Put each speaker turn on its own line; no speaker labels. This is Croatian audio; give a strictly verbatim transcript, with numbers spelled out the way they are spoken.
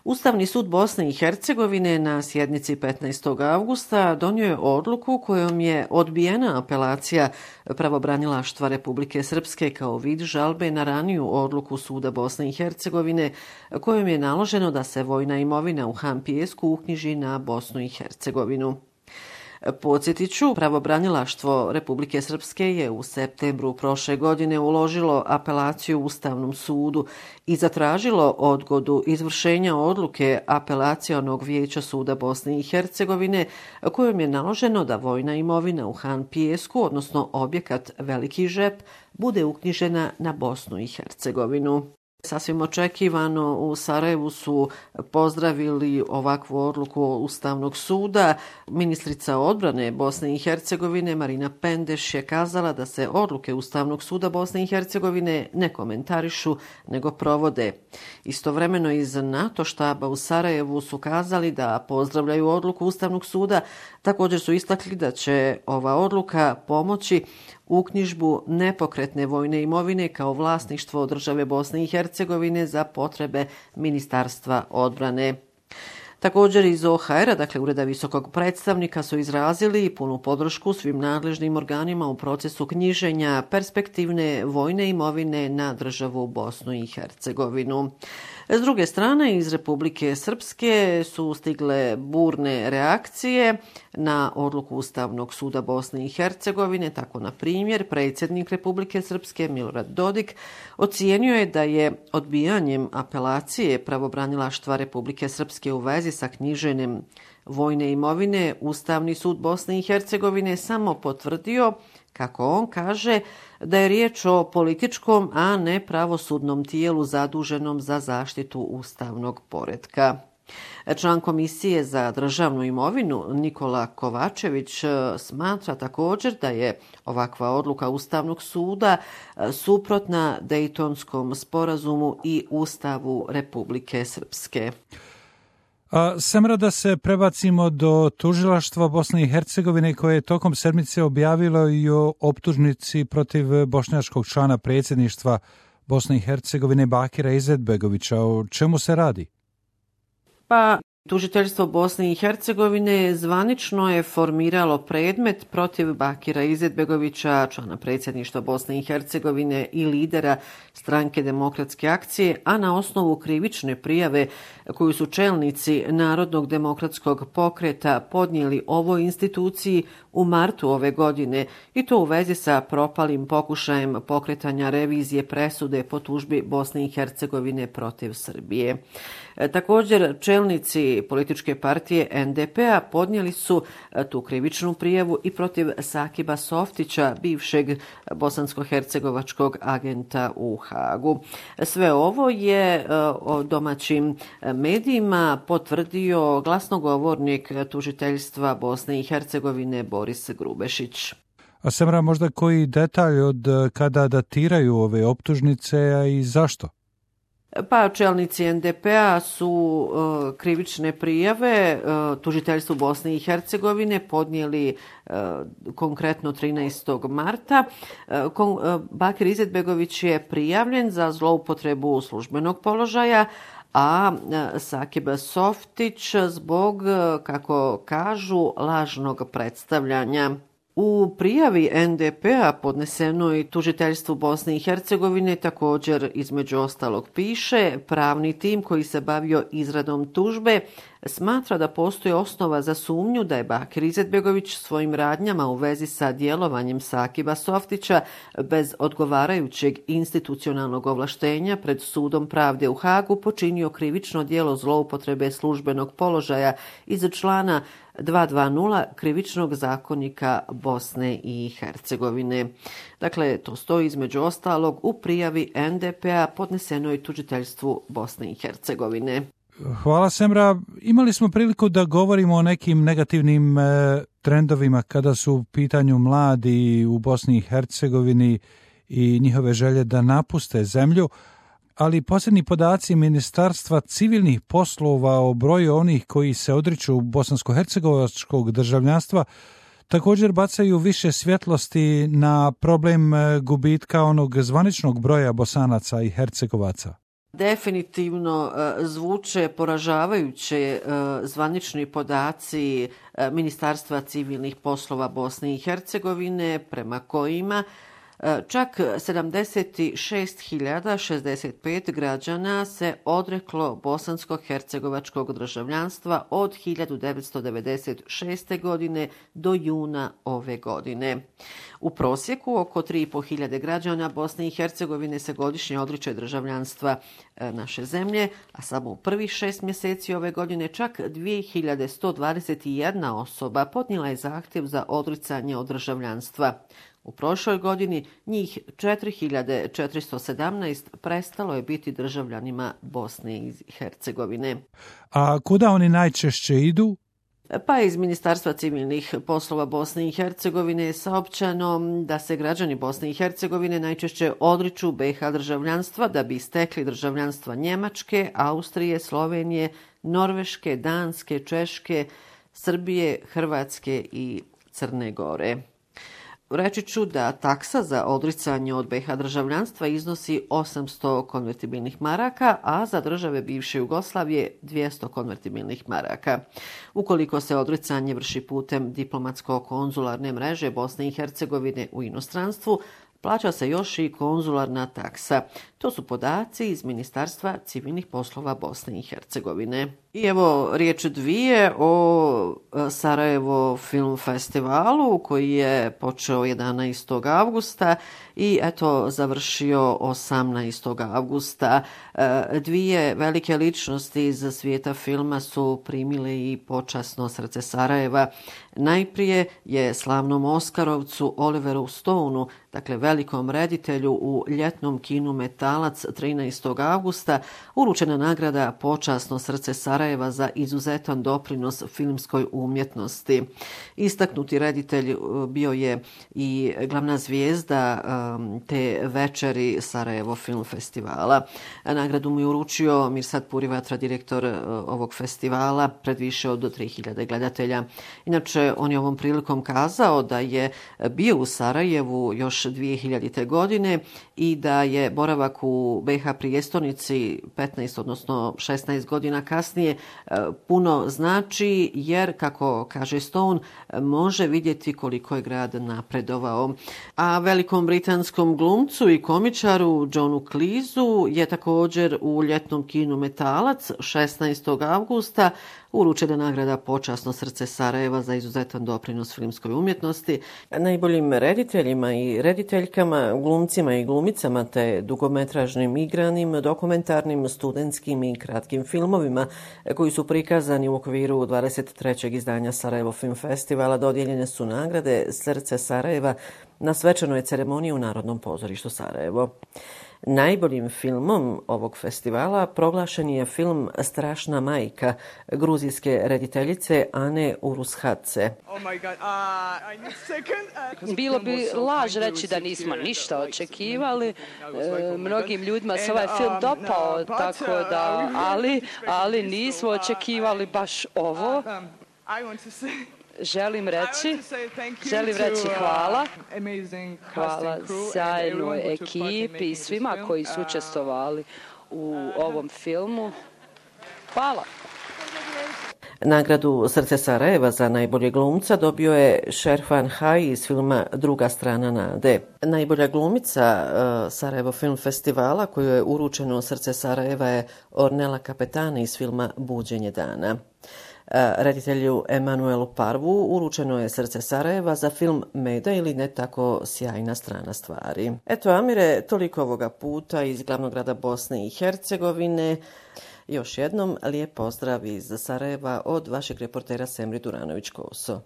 Ustavni sud Bosne i Hercegovine na sjednici petnaestog avgusta donio je odluku kojom je odbijena apelacija pravobranilaštva Republike Srpske kao vid žalbe na raniju odluku suda Bosne i Hercegovine kojom je naloženo da se vojna imovina u Han Pijesku uknjiži na Bosnu i Hercegovinu. Podsjetit ću, pravobranilaštvo Republike Srpske je u septembru prošle godine uložilo apelaciju Ustavnom sudu i zatražilo odgodu izvršenja odluke apelacionog vijeća suda Bosne i Hercegovine kojom je naloženo da vojna imovina u Han Pijesku, odnosno objekat Veliki Žep, bude uknjižena na Bosnu i Hercegovinu. Sasvim očekivano u Sarajevu su pozdravili ovakvu odluku Ustavnog suda. Ministrica odbrane Bosne i Hercegovine Marina Pendeš je kazala da se odluke Ustavnog suda Bosne i Hercegovine ne komentarišu, nego provode. Istovremeno iz NATO štaba u Sarajevu su kazali da pozdravljaju odluku Ustavnog suda. Također su istakli da će ova odluka pomoći uknjižbu nepokretne vojne imovine kao vlasništvo države Bosne i Hercegovine za potrebe Ministarstva odbrane. Također iz O H R-a, dakle Ureda visokog predstavnika, su izrazili punu podršku svim nadležnim organima u procesu knjiženja perspektivne vojne imovine na državu Bosnu i Hercegovinu. S druge strane, iz Republike Srpske su stigle burne reakcije na odluku Ustavnog suda Bosne i Hercegovine. Tako, na primjer, predsjednik Republike Srpske Milorad Dodik ocijenio je da je odbijanjem apelacije pravobranilaštva Republike Srpske u vezi sa knjiženjem vojne imovine Ustavni sud Bosne i Hercegovine samo potvrdio, kako on kaže, da je riječ o političkom, a ne pravosudnom tijelu zaduženom za zaštitu ustavnog poretka. Član Komisije za državnu imovinu Nikola Kovačević smatra također da je ovakva odluka Ustavnog suda suprotna Dejtonskom sporazumu i Ustavu Republike Srpske.
A Semra, da se prebacimo do tužilaštva Bosne i Hercegovine koje je tokom sedmice objavilo i o optužnici protiv bošnjačkog člana predsjedništva Bosne i Hercegovine Bakira Izetbegovića. O čemu se radi?
Pa, tužiteljstvo Bosne i Hercegovine zvanično je formiralo predmet protiv Bakira Izetbegovića, člana predsjedništva Bosne i Hercegovine i lidera Stranke demokratske akcije, a na osnovu krivične prijave koju su čelnici Narodnog demokratskog pokreta podnijeli ovoj instituciji u martu ove godine, i to u vezi sa propalim pokušajem pokretanja revizije presude po tužbi Bosne i Hercegovine protiv Srbije. Također, čelnici političke partije N D P-a podnijeli su tu krivičnu prijavu i protiv Sakiba Softića, bivšeg bosansko-hercegovačkog agenta u Hagu. Sve ovo je o domaćim medijima potvrdio glasnogovornik tužiteljstva Bosne i Hercegovine Boris Grubešić.
A Semra, možda koji detalj od kada datiraju ove optužnice, a i zašto?
Pa čelnici N D P-a su uh, krivične prijave uh, tužiteljstvu Bosne i Hercegovine podnijeli uh, konkretno trinaestog marta. Uh, kon, uh, Bakir Izetbegović je prijavljen za zloupotrebu službenog položaja, a Sakib Softić zbog, kako kažu, lažnog predstavljanja. U prijavi N D P-a podnesenoj tužiteljstvu Bosne i Hercegovine također između ostalog piše: pravni tim koji se bavio izradom tužbe smatra da postoji osnova za sumnju da je Bakir Izetbegović svojim radnjama u vezi sa djelovanjem Sakiba Softića bez odgovarajućeg institucionalnog ovlaštenja pred Sudom pravde u Hagu počinio krivično djelo zloupotrebe službenog položaja iz člana dvjesto dvadeset Krivičnog zakonika Bosne i Hercegovine. Dakle, to stoji između ostalog u prijavi N D P-a podnesenoj tužiteljstvu Bosne i Hercegovine.
Hvala, Semra. Imali smo priliku da govorimo o nekim negativnim e, trendovima kada su u pitanju mladi u Bosni i Hercegovini i njihove želje da napuste zemlju, ali posljednji podaci Ministarstva civilnih poslova o broju onih koji se odriču bosansko-hercegovačkog državljanstva također bacaju više svjetlosti na problem gubitka onog zvaničnog broja Bosanaca i Hercegovaca.
Definitivno zvuče poražavajuće zvanični podaci Ministarstva civilnih poslova Bosne i Hercegovine, prema kojima čak sedamdeset šest hiljada šezdeset pet građana se odreklo bosansko-hercegovačkog državljanstva od hiljadu devetsto devedeset šeste. godine do juna ove godine. U prosjeku oko tri i po hiljade građana Bosne i Hercegovine se godišnje odriče državljanstva naše zemlje, a samo u prvih šest mjeseci ove godine čak dvije hiljade sto dvadeset jedna osoba podnijela je zahtjev za odricanje od državljanstva. U prošloj godini njih četiri hiljade četiristo sedamnaest prestalo je biti državljanima Bosne i Hercegovine.
A kuda oni najčešće idu?
Pa iz Ministarstva civilnih poslova Bosne i Hercegovine je saopćeno da se građani Bosne i Hercegovine najčešće odriču be ha državljanstva da bi stekli državljanstva Njemačke, Austrije, Slovenije, Norveške, Danske, Češke, Srbije, Hrvatske i Crne Gore. Reći ću da taksa za odricanje od be ha državljanstva iznosi osamsto konvertibilnih maraka, a za države bivše Jugoslavije dvjesto konvertibilnih maraka. Ukoliko se odricanje vrši putem diplomatsko-konzularne mreže Bosne i Hercegovine u inostranstvu, plaća se još i konzularna taksa. To su podaci iz Ministarstva civilnih poslova Bosne i Hercegovine. I evo riječ dvije o Sarajevo Film Festivalu koji je počeo jedanaestog avgusta i eto završio osamnaestog avgusta. Dvije velike ličnosti iz svijeta filma su primile i počasno srce Sarajeva. Najprije je slavnom Oskarovcu Oliveru Stoneu, dakle velikom reditelju u ljetnom kinu Metalac trinaestog avgusta, uručena nagrada Počasno srce Sarajeva za izuzetan doprinos filmskoj umjetnosti. Istaknuti reditelj bio je i glavna zvijezda te večeri Sarajevo Film Festivala. Nagradu mu je uručio Mirsad Purivatra, direktor ovog festivala, pred više od tri hiljade gledatelja. Inače, on je ovom prilikom kazao da je bio u Sarajevu još dvije hiljadite. godine i da je boravak u be ha prijestolnici petnaest, odnosno šesnaest godina kasnije puno znači, jer, kako kaže Stone, može vidjeti koliko je grad napredovao. A velikom britanskom glumcu i komičaru Johnu Cleeseu je također u ljetnom kinu Metalac šesnaestog avgusta uručena nagrada Počasno srce Sarajeva za izuzetan doprinos filmskoj umjetnosti. Najboljim rediteljima i rediteljkama, glumcima i glumicama te dugometražnim igranim, dokumentarnim, studentskim i kratkim filmovima koji su prikazani u okviru dvadeset trećeg izdanja Sarajevo Film Festivala dodijeljene su nagrade Srce Sarajeva na svečanoj ceremoniji u Narodnom pozorištu Sarajevo. Najboljim filmom ovog festivala proglašen je film Strašna majka gruzijske rediteljice Ane Urushadze.
Bilo bi laž reći da nismo ništa očekivali. E, mnogim ljudima se ovaj film dopao, tako da, ali, ali nismo očekivali baš ovo. Želim reći, želim reći hvala, hvala sjajnoj ekipi i svima koji su učestvovali u ovom filmu. Hvala.
Nagradu Srce Sarajeva za najbolje glumca dobio je Šerfan Haj iz filma Druga strana nade. Najbolja glumica uh, Sarajevo Film Festivala koju je uručeno Srce Sarajeva je Ornella Kapetani iz filma Buđenje dana. Reditelju Emanuelu Parvu uručeno je Srce Sarajeva za film Meda ili ne tako sjajna strana stvari. Eto, Amire, toliko ovoga puta iz glavnog grada Bosne i Hercegovine. Još jednom lijep pozdrav iz Sarajeva od vašeg reportera Semri Duranović-Koso.